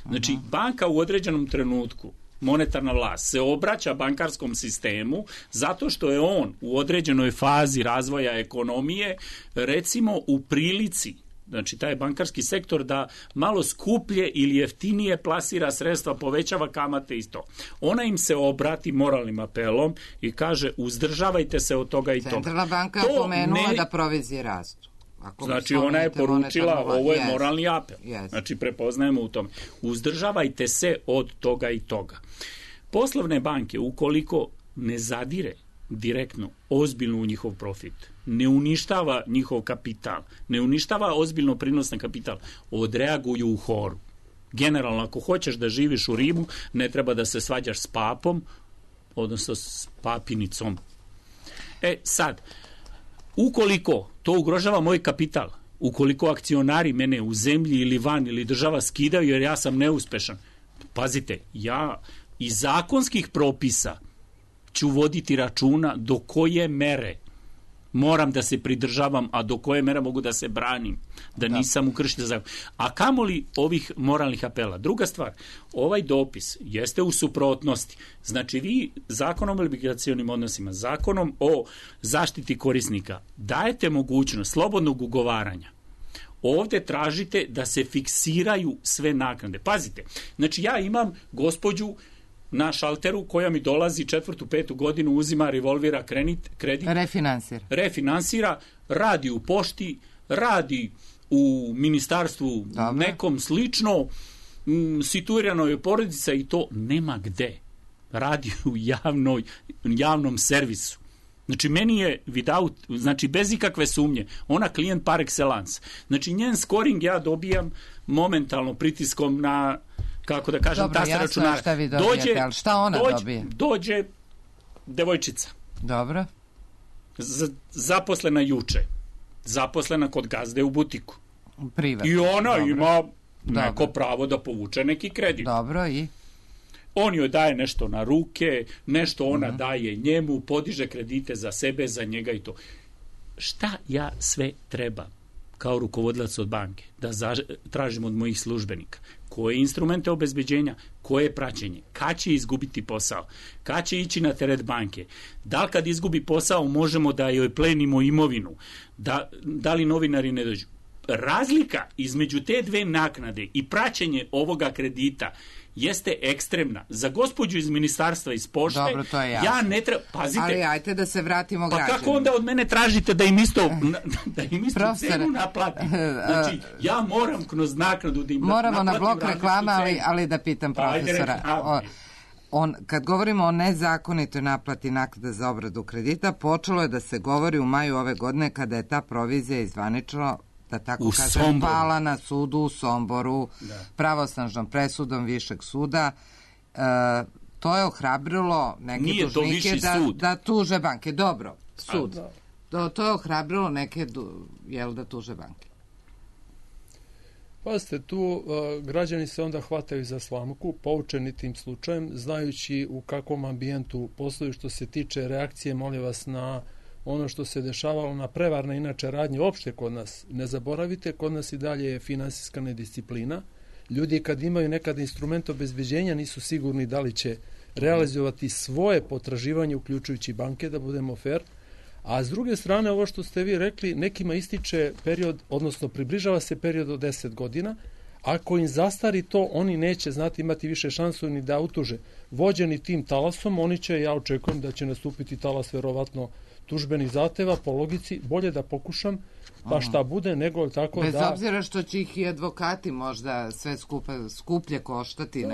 Znači, banka u određenom trenutku, monetarna vlast, se obraća bankarskom sistemu zato što je on u određenoj fazi razvoja ekonomije, recimo u prilici, znači taj bankarski sektor, da malo skuplje ili jeftinije plasira sredstva, povećava kamate i to. Ona im se obrati moralnim apelom i kaže uzdržavajte se od toga i toga. Centralna banka je pomenula da provizije rastu. Znači ona je poručila, ovo je moralni apel. Znači prepoznajemo u tome. Uzdržavajte se od toga i toga. Poslovne banke, ukoliko ne zadire direktno, ozbiljno u njihov profit, ne uništava njihov kapital, ne uništava ozbiljno prinos na kapital, odreaguju u horu. Generalno, ako hoćeš da živiš u Rimu, ne treba da se svađaš s papom, odnosno s papinicom. Sad, ukoliko to ugrožava moj kapital, ukoliko akcionari mene u zemlji ili van ili država skidaju jer ja sam neuspešan, pazite, ja iz zakonskih propisa ću voditi računa do koje mere moram da se pridržavam, a do koje mere mogu da se branim, da nisam u kršitelj zakona. A kamoli ovih moralnih apela. Druga stvar, ovaj dopis jeste u suprotnosti. Znači vi zakonom o obligacionim odnosima, zakonom o zaštiti korisnika dajete mogućnost slobodnog ugovaranja. Ovde tražite da se fiksiraju sve naknade. Pazite, znači ja imam gospođu na šalteru koja mi dolazi 4., 5. godinu, uzima, revolvira kredit. Refinansira, radi u pošti, radi u ministarstvu nekom slično, situirano je porodica i to nema gde. Radi u javnom servisu. Znači, meni je without, znači bez ikakve sumnje, ona klijent par excellence. Znači, njen scoring ja dobijam momentalno pritiskom na, kako da kažem, taster računara. Šta vi dobijete, ali šta ona dobije? Dođe devojčica. Dobro. Zaposlena juče. Zaposlena kod gazde u butiku. Privatno. I ona ima neko pravo da povuče neki kredit. Dobro, i? On joj daje nešto na ruke, nešto ona daje njemu, podiže kredite za sebe, za njega i to. Šta ja sve treba kao rukovodilac od banke da tražim od mojih službenika? Koje instrumente obezbeđenja, koje praćenje, kad će izgubiti posao, kad će ići na teret banke, da li kad izgubi posao možemo da joj plenimo imovinu, da li novinari ne dođu. Razlika između te dve naknade i praćenje ovoga kredita jeste ekstremna. Za gospođu iz ministarstva iz pošte, dobro, to je jasno. Ja ne treba, pazite. Ali ajte da se vratimo građanima. Pa kako onda od mene tražite da im isto cenu naplatim? Znači, ja moram kroz naknadu da im moramo na blok reklama, ali da pitam profesora. Kad govorimo o nezakonitoj naplati naknada za obradu kredita, počelo je da se govori u maju ove godine kada je ta provizija izvanično, da tako kažem, pala na sudu u Somboru, pravosnažnom presudom Višeg suda. to je ohrabrilo neke dužnike da tuže banke. Dobro, sud. To je ohrabrilo neke da tuže banke. Pazite, tu građani se onda hvataju za slamku, poučeni tim slučajem, znajući u kakvom ambijentu posluju što se tiče reakcije, molim vas, na ono što se dešavalo na prevarne inače radnje uopšte kod nas. Ne zaboravite, kod nas i dalje je finansijska nedisciplina. Ljudi kad imaju nekad instrument obezbeđenja nisu sigurni da li će realizovati svoje potraživanje, uključujući banke, da budemo fair. A s druge strane, ovo što ste vi rekli, nekima ističe period, odnosno približava se period od 10 godina. Ako im zastari to, oni neće imati više šansu ni da utuže. Vođeni tim talasom, oni će, ja očekujem da će nastupiti talas verovatno tužbenih zahteva, po logici, bolje da pokušam, pa šta bude, nego tako bez obzira što će ih i advokati možda sve skuplje koštati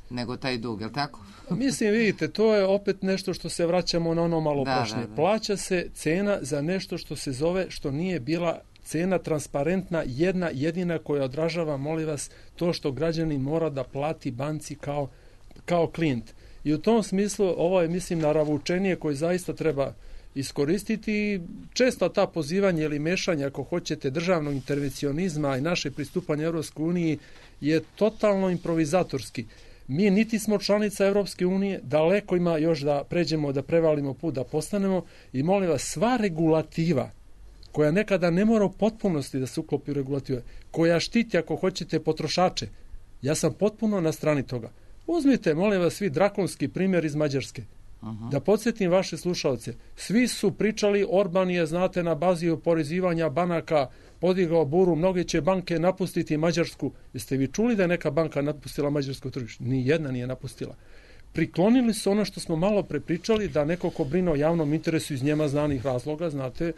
nego taj dug, je li tako? Mislim, vidite, to je opet nešto što se vraćamo na ono malo prošnje. Plaća se cena za nešto što se zove, što nije bila cena transparentna, jedna jedina koja odražava, molim vas, to što građanin mora da plati banci kao klijent. I u tom smislu ovo je, mislim, naravučenije koje zaista treba iskoristiti. Često ta pozivanje ili mešanje, ako hoćete, državnog intervencionizma i naše pristupanje Evropskoj uniji je totalno improvizatorski. Mi niti smo članica Evropske unije, daleko ima još da pređemo, da prevalimo put, da postanemo, i molim vas, sva regulativa koja nekada ne mora u potpunosti da se uklopi u regulative, koja štiti, ako hoćete, potrošače, ja sam potpuno na strani toga. Uzmite, molim vas, svi drakonski primjer iz Mađarske. Da podsjetim vaše slušalce, svi su pričali, Orban je, znate, na bazi oporezivanja banaka podigao buru, mnoge će banke napustiti Mađarsku. Jeste vi čuli da je neka banka napustila mađarsko tržište? Nijedna nije napustila. Priklonili su ono što smo malo prepričali, da neko ko brine o javnom interesu iz njema znanih razloga, znate,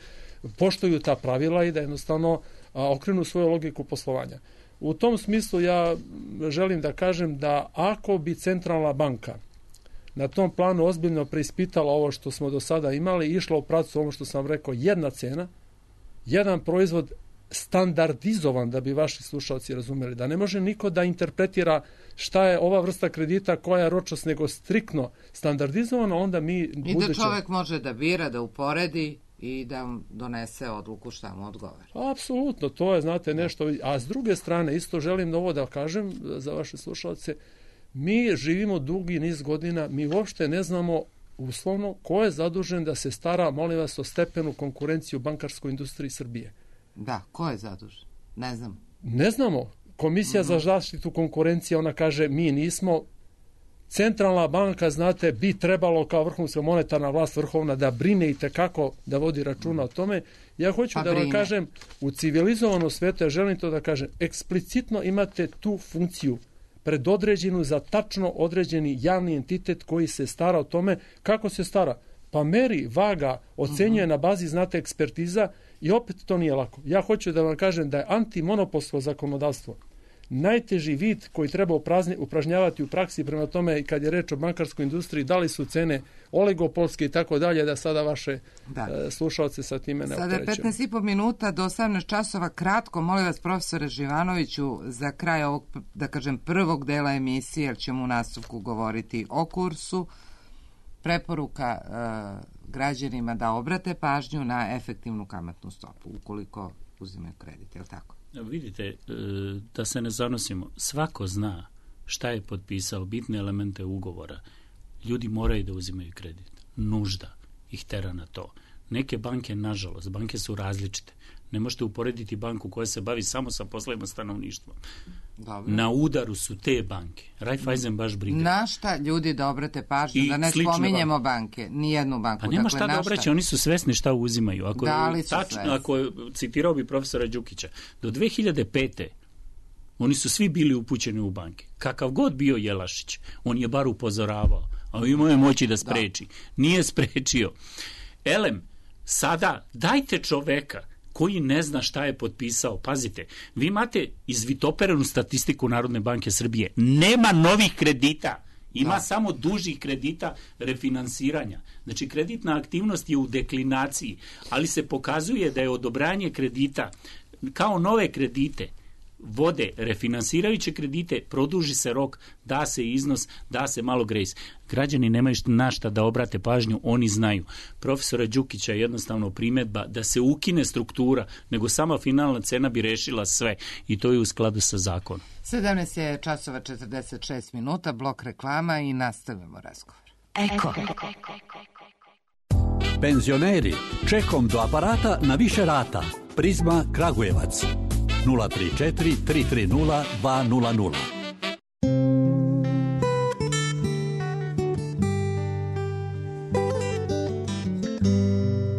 poštuju ta pravila i da jednostavno okrenu svoju logiku poslovanja. U tom smislu ja želim da kažem da ako bi centralna banka na tom planu ozbiljno preispitala ovo što smo do sada imali, išla u pravcu ovo što sam rekao, jedna cena, jedan proizvod standardizovan, da bi vaši slušalci razumeli, da ne može niko da interpretira šta je ova vrsta kredita, koja je ročnost, nego striktno standardizovano, onda mi I da čovjek može da bira, da uporedi i da donese odluku šta mu odgovara. Apsolutno, to je, znate, nešto. A s druge strane, isto želim ovo da kažem za vaše slušalce, mi živimo dugi niz godina, mi uopšte ne znamo uslovno ko je zadužen da se stara, molim vas, o stepenu konkurencije u bankarskoj industriji Srbije. Da, ko je zadužen? Ne znamo. Ne znamo. Komisija za zaštitu konkurencije, ona kaže, mi nismo. Centralna banka, znate, bi trebalo kao vrhunska monetarna vlast vrhovna da brine i tekako da vodi računa o tome. Ja hoću da vam kažem, u civilizovanom svijetu, ja želim to da kažem, eksplicitno imate tu funkciju predodređenu za tačno određeni javni entitet koji se stara o tome. Kako se stara? Pa meri, vaga, ocenjuje na bazi, znate, ekspertiza, i opet to nije lako. Ja hoću da vam kažem da je antimonopolsko zakonodavstvo najteži vid koji treba upražnjavati u praksi, prema tome kad je reč o bankarskoj industriji, da li su cene oligopolske i tako dalje, da sada vaše slušalce sa time ne opterećujemo. Sada je 15,5 minuta do 18 časova. Kratko, molim vas, profesore Živanoviću, za kraj ovog, da kažem, prvog dela emisije, jer ćemo u nastavku govoriti o kursu, preporuka građanima da obrate pažnju na efektivnu kamatnu stopu, ukoliko uzimaju kredit, je li tako? Vidite, da se ne zanosimo, svako zna šta je potpisao, bitne elemente ugovora. Ljudi moraju da uzimaju kredit. Nužda ih tera na to. Neke banke, nažalost, banke su različite. Ne možete uporediti banku koja se bavi samo sa poslovima stanovništva. Dobro. Na udaru su te banke. Raiffeisen baš briga. Na šta ljudi da obrate pažnju, da ne spominjemo banke, nijednu banku. Pa nema šta da obraća, oni su svesni šta uzimaju. Ako citirao bi profesora Đukića, do 2005. oni su svi bili upućeni u banke. Kakav god bio Jelašić, on je bar upozoravao, a imao je moći da spreči. Nije sprečio. Elem, sada dajte čoveka koji ne zna šta je potpisao. Pazite, vi imate izvitoperenu statistiku Narodne banke Srbije. Nema novih kredita. Ima samo dužih kredita refinansiranja. Znači, kreditna aktivnost je u deklinaciji, ali se pokazuje da je odobranje kredita kao nove kredite vode refinansirajuće kredite, produži se rok, da se iznos, da se malo grejs. Građani nemaju na šta da obrate pažnju, oni znaju. Profesora Đukića je jednostavno primjedba da se ukine struktura, nego sama finalna cena bi rešila sve i to je u skladu sa zakonom. 17 je časova 46 minuta, blok reklama i nastavljamo razgovor. Eko. Penzioneri, čekom do aparata na više rata. Prizma Kragujevac 034 330 200.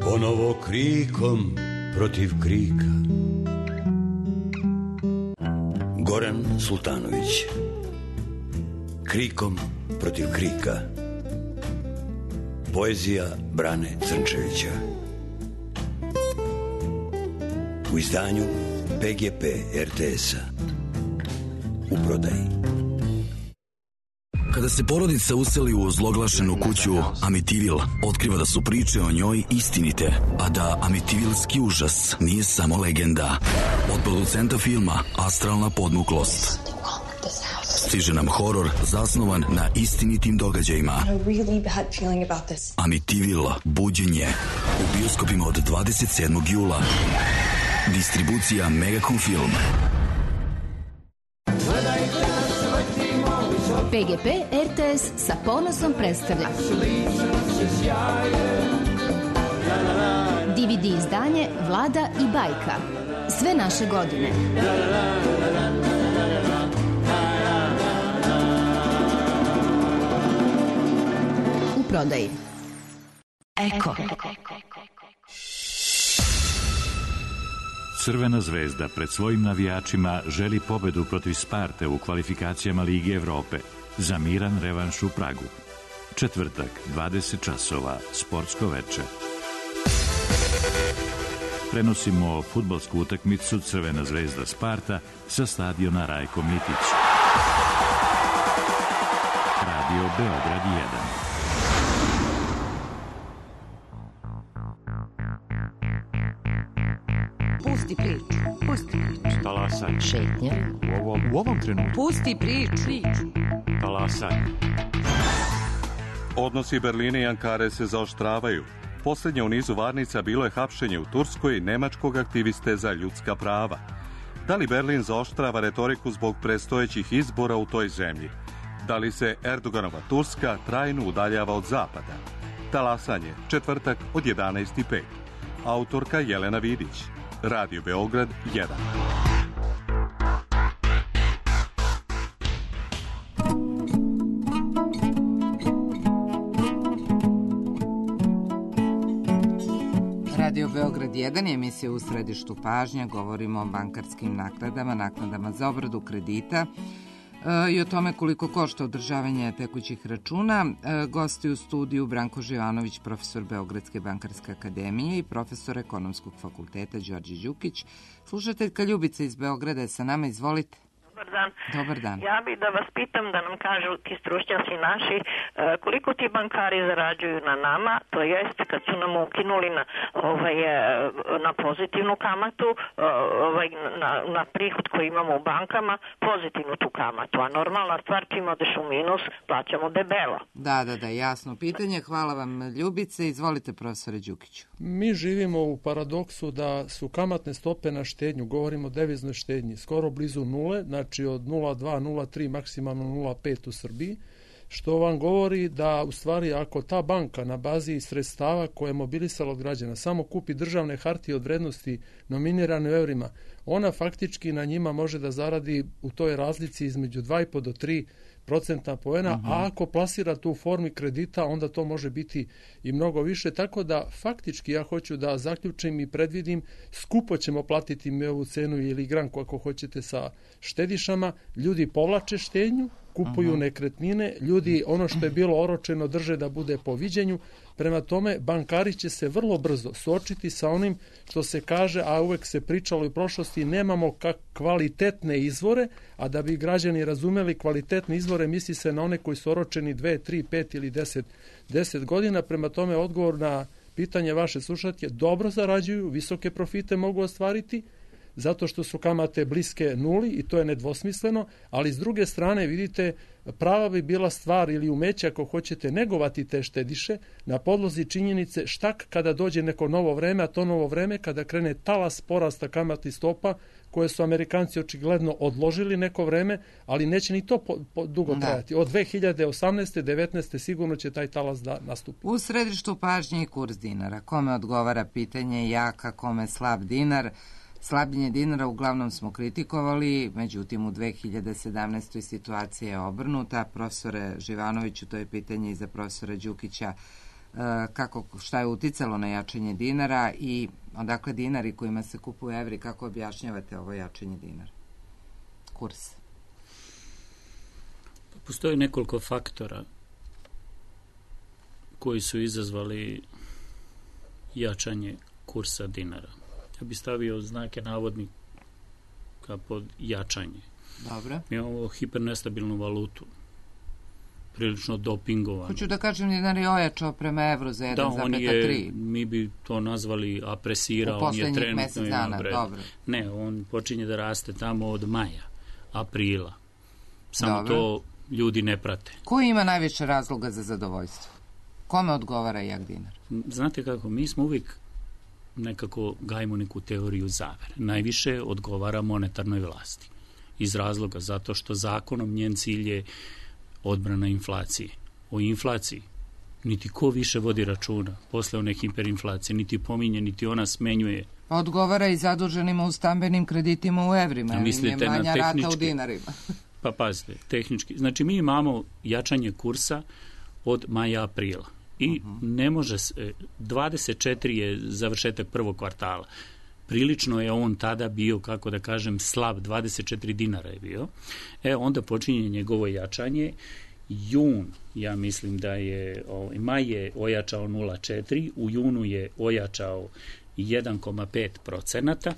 Ponovo krikom protiv krika. Goran Sultanović. Krikom protiv krika. Poezija Brane Crnčevića. U izdanju PGP RTS-a. U prodaji. Kada se porodica useli u ozloglašenu kuću Amitivil, otkriva da su priče o njoj istinite, a da amitivilski užas nije samo legenda. Od producenta filma Astralna podmuklost stiže nam horor zasnovan na istinitim događajima. Amitivil, buđenje, u bioskopima od 27. jula. Distribucija Megacom Film. PGP RTS sa ponosom predstavlja DVD izdanje Vlada i bajka. Sve naše godine. U prodaji. Eko. Crvena zvezda pred svojim navijačima želi pobedu protiv Sparte u kvalifikacijama Lige Evrope za miran revanš u Pragu. Četvrtak, 20 časova, sportsko veče. Prenosimo fudbalsku utakmicu Crvena zvezda Sparta sa stadiona Rajko Mitić. Radio Beograd 1. Pusti priču. Talasaj. Šetnja. U ovom trenutku. Pusti priču. Talasaj. Odnosi Berlina i Ankare se zaoštravaju. Poslednje u nizu varnica bilo je hapšenje u Turskoj nemačkog aktiviste za ljudska prava. Da li Berlin zaoštrava retoriku zbog predstojećih izbora u toj zemlji? Da li se Erdoganova Turska trajno udaljava od zapada? Talasanje, četvrtak od 11:05. Autorka Jelena Vidić. Radio Beograd 1. Radio Beograd 1 je emisija u središtu pažnje. Govorimo o bankarskim naknadama za obradu kredita i o tome koliko košta održavanje tekućih računa. Gosti u studiju Branko Živanović, profesor Beogradske bankarske akademije i profesor Ekonomskog fakulteta Đorđe Đukić. Slušateljka Ljubica iz Beograda je sa nama, izvolite. Dobar dan. Dobar dan. Ja bih da vas pitam, da nam kažu ti stručnjaci naši, koliko ti bankari zarađuju na nama, to jest kad su nam ukinuli na pozitivnu kamatu, na prihod koji imamo u bankama, pozitivnu tu kamatu, a normalna stvar, čim odeš u minus, plaćamo debelo. Da, jasno pitanje. Hvala vam, Ljubice. Izvolite, profesore Đukiću. Mi živimo u paradoksu da su kamatne stope na štednju, govorimo o deviznoj štednji, skoro blizu nule, znači od 0,2, 0,3, maksimalno 0,5 u Srbiji, što vam govori da u stvari ako ta banka na bazi sredstava koje je mobilisala od građana samo kupi državne hartije od vrednosti nominirane u eurima, ona faktički na njima može da zaradi u toj razlici između 2,5 do 3% poena, a ako plasira tu u formi kredita, onda to može biti i mnogo više, tako da faktički ja hoću da zaključim i predvidim, skupo ćemo platiti mi ovu cenu ili granku ako hoćete sa štedišama, ljudi povlače štednju, kupuju nekretnine, ljudi ono što je bilo oročeno drže da bude po viđenju, prema tome bankari će se vrlo brzo suočiti sa onim što se kaže, a uvek se pričalo i u prošlosti, nemamo kvalitetne izvore, a da bi građani razumeli kvalitetne izvore, misli se na one koji su oročeni 2, 3, 5 ili 10 godina, prema tome odgovor na pitanje vaše slušatelje, dobro zarađuju, visoke profite mogu ostvariti, zato što su kamate bliske nuli i to je nedvosmisleno, ali s druge strane vidite prava bi bila stvar ili umeće ako hoćete negovati te štediše na podlozi činjenice štak kada dođe neko novo vreme, a to novo vreme kada krene talas porasta kamatnih stopa koje su Amerikanci očigledno odložili neko vreme, ali neće ni to dugo trajati. Od 2018. 19. sigurno će taj talas da nastupi. U središtu pažnje i kurs dinara. Kome odgovara pitanje jaka, kome slab dinar? Slabljenje dinara uglavnom smo kritikovali, međutim u 2017. situacija je obrnuta. Profesore Živanoviću, to je pitanje i za profesora Đukića, šta je uticalo na jačanje dinara i odakle dinari kojima se kupuju evri, kako objašnjavate ovo jačanje dinara? Kurs. Postoji nekoliko faktora koji su izazvali jačanje kursa dinara. Ja bih stavio znake navodnika pod jačanje. Dobro. Mi imamo hipernestabilnu valutu, prilično dopingovan. Hoću da kažem, dinar je ojačao prema evru za 1,3. Da, on je, mi bi to nazvali apresirao, on je trenutno Ne, on počinje da raste tamo od maja, aprila. Samo to ljudi ne prate. Ko ima najviše razloga za zadovoljstvo? Kome odgovara jak dinar? Znate kako, mi smo uvijek nekako gajimo neku teoriju zavere. Najviše odgovara monetarnoj vlasti. Iz razloga zato što zakonom njen cilj je odbrana inflacije. O inflaciji niti ko više vodi računa posle one hiperinflacije, niti pominje, niti ona smenjuje. Odgovara i zaduženima u stambenim kreditima u evrima. Mislite na tehnički? Rata u dinarima. Pa pazite, tehnički. Znači mi imamo jačanje kursa od maja aprila. I ne može se, 24 je završetak prvog kvartala. Prilično je on tada bio, kako da kažem, slab, 24 dinara je bio. Onda počinje njegovo jačanje. Jun, ja mislim da je, maj je ojačao 0,4, u junu je ojačao 1,5%.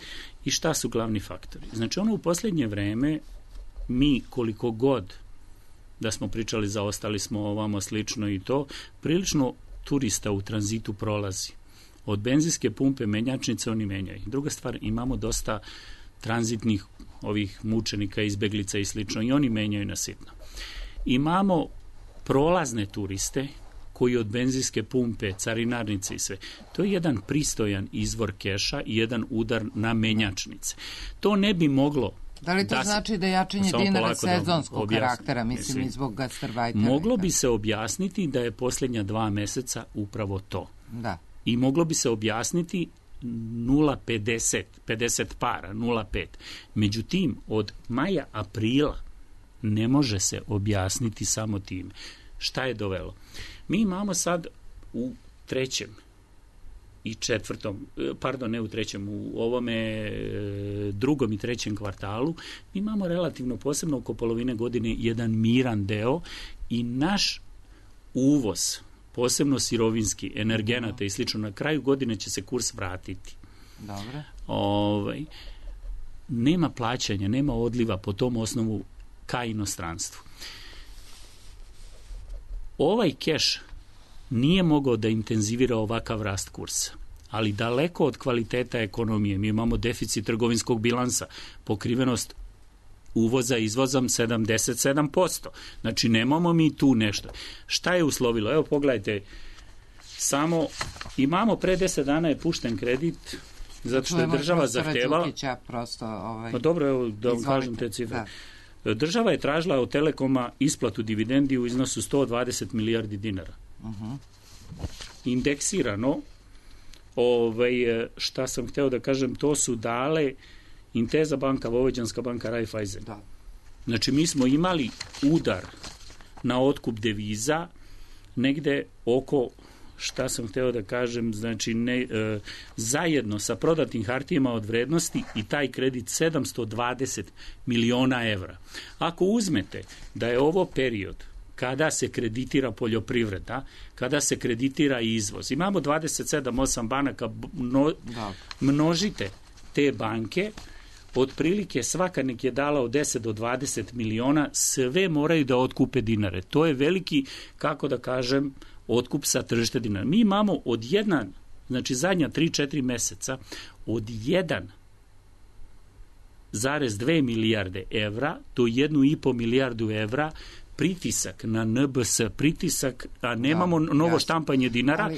I šta su glavni faktori? Znači u posljednje vreme mi koliko god da smo pričali, zaostali smo ovamo slično i to, prilično turista u tranzitu prolazi. Od benzinske pumpe, menjačnice oni menjaju. Druga stvar, imamo dosta tranzitnih ovih mučenika, izbeglica i slično i oni menjaju na sitno. Imamo prolazne turiste koji od benzinske pumpe, carinarnice i sve. To je jedan pristojan izvor keša i jedan udar na menjačnice. To ne bi moglo. Da li to znači da je jačanje dinara sezonskog karaktera, mislim i zbog gastarbajtera? Moglo bi se objasniti da je posljednja 2 meseca upravo to. Da. I moglo bi se objasniti 0,50, 50 para, 0,5. Međutim, od maja, aprila ne može se objasniti samo time. Šta je dovelo? Mi imamo sad u trećem i četvrtom, pardon, ne u trećem, u ovome drugom i trećem kvartalu, mi imamo relativno posebno oko polovine godine jedan miran deo i naš uvoz, posebno sirovinski, energenata i slično, na kraju godine će se kurs vratiti. Dobro. Nema plaćanja, nema odliva po tom osnovu ka inostranstvu. Ovaj keš nije mogao da intenzivira ovakav rast kursa, ali daleko od kvaliteta ekonomije. Mi imamo deficit trgovinskog bilansa, pokrivenost uvoza izvozom 77%. Znači, nemamo mi tu nešto. Šta je uslovilo? Evo, pogledajte, samo imamo pre 10 dana je pušten kredit, zato što je država zahtevala... Dobro, evo, da vam kažem te cifre. Država je tražila od Telekoma isplatu dividendi u iznosu 120 milijardi dinara. Indeksirano, šta sam hteo da kažem, to su dale Inteza banka, Vojvođanska banka, Raiffeisen. Znači, mi smo imali udar na otkup deviza negde oko, šta sam hteo da kažem, znači zajedno sa prodatim hartijama od vrednosti i taj kredit 720 miliona evra. Ako uzmete da je ovo period kada se kreditira poljoprivreda, kada se kreditira izvoz, imamo 27-8 banaka, množite te banke, otprilike svaka nek je dala od 10 do 20 miliona, sve moraju da otkupe dinare. To je veliki, kako da kažem, otkup sa tržište dinara. Mi imamo od jedan, znači zadnja 3-4 meseca, od 1,2 milijarde evra do 1,5 milijardu evra pritisak na NBS, pritisak, a nemamo novo štampanje dinara,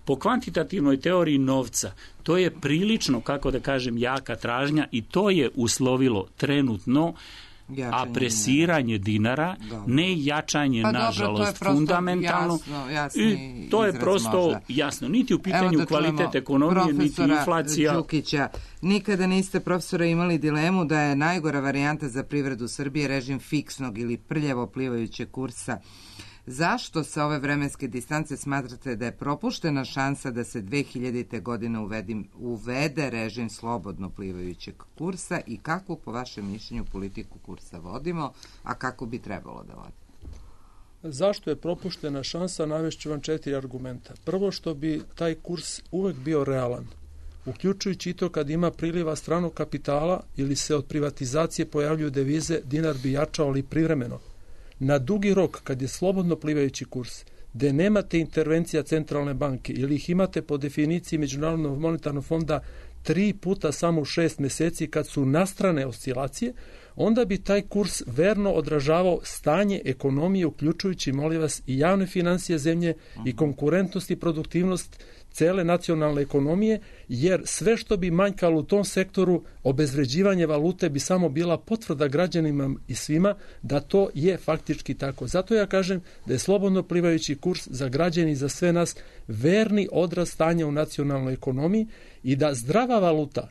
po kvantitativnoj teoriji novca, to je prilično, kako da kažem, jaka tražnja i to je uslovilo trenutno apresiranje dinara, ne jačanje, nažalost, fundamentalno. I to je prosto jasno. Niti u pitanju kvalitet ekonomije, niti inflacija. Đukića, nikada niste, profesora, imali dilemu da je najgora varijanta za privredu Srbije režim fiksnog ili prljavo plivajućeg kursa. Zašto sa ove vremenske distance smatrate da je propuštena šansa da se 2000. godine uvede režim slobodno plivajućeg kursa i kakvu, po vašem mišljenju, politiku kursa vodimo, a kako bi trebalo da vodimo? Zašto je propuštena šansa? Navešću vam 4 argumenta. Prvo, što bi taj kurs uvek bio realan, uključujući i to kad ima priliva stranog kapitala ili se od privatizacije pojavljuju devize, dinar bi jačao, ali privremeno. Na dugi rok, kad je slobodno plivajući kurs, gde nemate intervencija centralne banke ili ih imate po definiciji Međunarodnog monetarnog fonda 3 puta samo u 6 meseci kad su nastrane oscilacije, onda bi taj kurs verno odražavao stanje ekonomije, uključujući, molim vas, i javne financije zemlje i konkurentnost i produktivnost cele nacionalne ekonomije, jer sve što bi manjkalo u tom sektoru, obezvređivanje valute bi samo bila potvrda građanima i svima da to je faktički tako. Zato ja kažem da je slobodno plivajući kurs za građani i za sve nas verni odraz stanja u nacionalnoj ekonomiji i da zdrava valuta,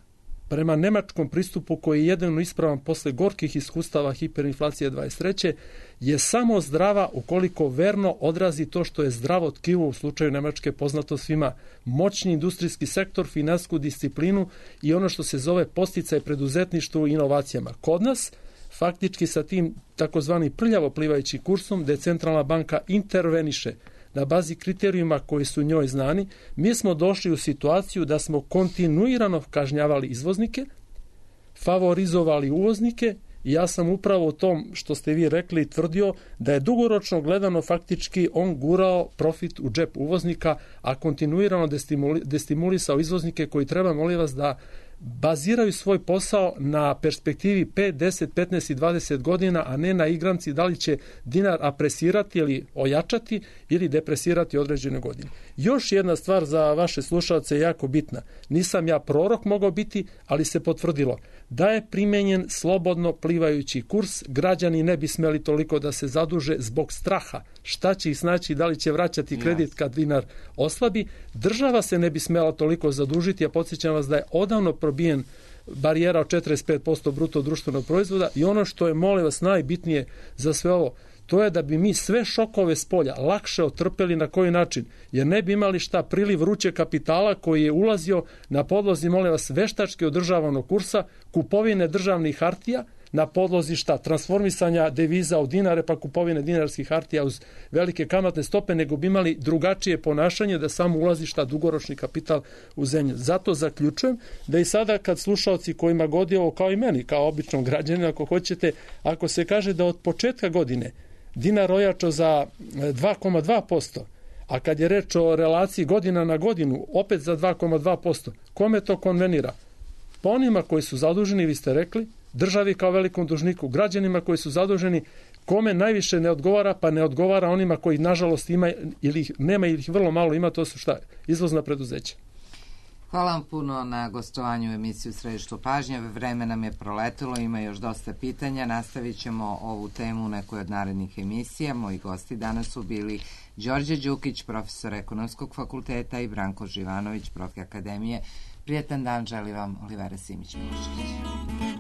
prema nemačkom pristupu koji je jedino ispravan posle gorkih iskustava hiperinflacije 23. je samo zdrava ukoliko verno odrazi to što je zdravo tkivo u slučaju Nemačke, poznato svima, moćni industrijski sektor, finansijsku disciplinu i ono što se zove podsticaj preduzetništvu i inovacijama. Kod nas, faktički sa tim takozvani prljavo plivajući kursom, gde centralna banka interveniše na bazi kriterijuma koji su njoj znani, mi smo došli u situaciju da smo kontinuirano kažnjavali izvoznike, favorizovali uvoznike i ja sam upravo u tom što ste vi rekli tvrdio da je dugoročno gledano faktički on gurao profit u džep uvoznika, a kontinuirano destimulisao izvoznike koji treba, molim vas, da baziraju svoj posao na perspektivi 5, 10, 15 i 20 godina, a ne na igranci da li će dinar apresirati ili ojačati ili depresirati određene godine. Još jedna stvar za vaše slušalce je jako bitna. Nisam ja prorok mogao biti, ali se potvrdilo. Da je primenjen slobodno plivajući kurs, građani ne bi smeli toliko da se zaduže zbog straha. Šta će ih snaći, da li će vraćati kredit kad dinar oslabi. Država se ne bi smela toliko zadužiti, a podsjećam vas da je odavno probijen barijera od 45% bruto društvenog proizvoda i ono što je, molim vas, najbitnije za sve ovo, to je da bi mi sve šokove s polja lakše otrpeli. Na koji način? Jer ne bi imali priliv vruće kapitala koji je ulazio na podlozi, molim vas, veštački održavanog kursa, kupovine državnih hartija, na podlozi transformisanja deviza u dinare pa kupovine dinarskih hartija uz velike kamatne stope, nego bi imali drugačije ponašanje da samo ulazi dugoročni kapital u zemlju. Zato zaključujem da i sada kad slušalci kojima godi ovo, kao i meni, kao običnom građaninu, ako hoćete, ako se kaže da od početka godine dinar ojačao za 2,2%, a kad je reč o relaciji godina na godinu, opet za 2,2%, kome to konvenira? Pa onima koji su zaduženi, vi ste rekli, državi kao velikom dužniku, građanima koji su zaduženi, kome najviše ne odgovara, pa ne odgovara onima koji nažalost ima ili ih nema ili ih vrlo malo ima, to su izvozna preduzeća. Hvala vam puno na gostovanju u emisiju Središtu pažnje. Vreme nam je proletilo, ima još dosta pitanja. Nastavit ćemo ovu temu u nekoj od narednih emisija. Moji gosti danas su bili Đorđe Đukić, profesor Ekonomskog fakulteta, i Branko Živanović, prof. Akademije. Prijetan dan želi vam Olivera Simić-Milošević.